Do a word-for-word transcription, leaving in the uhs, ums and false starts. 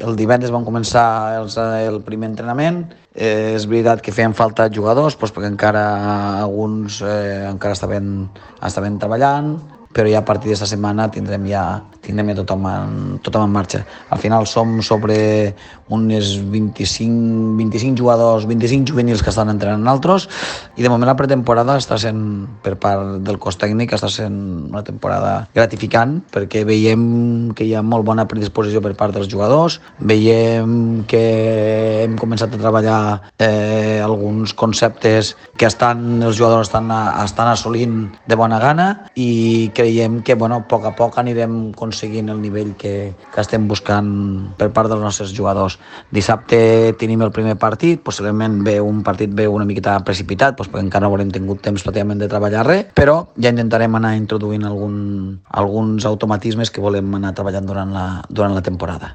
El divendres vam començar els, el primer entrenament. Eh, és veritat que feien falta jugadors, doncs perquè encara alguns eh, encara estaven, estaven treballant, però ja a partir d'esta setmana tindrem ja, tindrem ja tothom, en, tothom en marxa. Al final som sobre unes vint-i-cinc, vint-i-cinc jugadors, vint-i-cinc juvenils que estan entrenant nosaltres, i de moment la pretemporada està sent, per part del cos tècnic, està sent una temporada gratificant, perquè veiem que hi ha molt bona predisposició per part dels jugadors, veiem que hem començat a treballar eh, alguns conceptes que estan, els jugadors estan, estan assolint de bona gana, i creiem que bueno, a poc a poc anirem aconseguint el nivell que, que estem buscant per part dels nostres jugadors. Dissabte tenim el primer partit, possiblement ve un partit ve una miqueta precipitat, doncs perquè encara no haurem tingut temps pràcticament de treballar res, però ja intentarem anar introduint algun, alguns automatismes que volem anar treballant durant la, durant la temporada.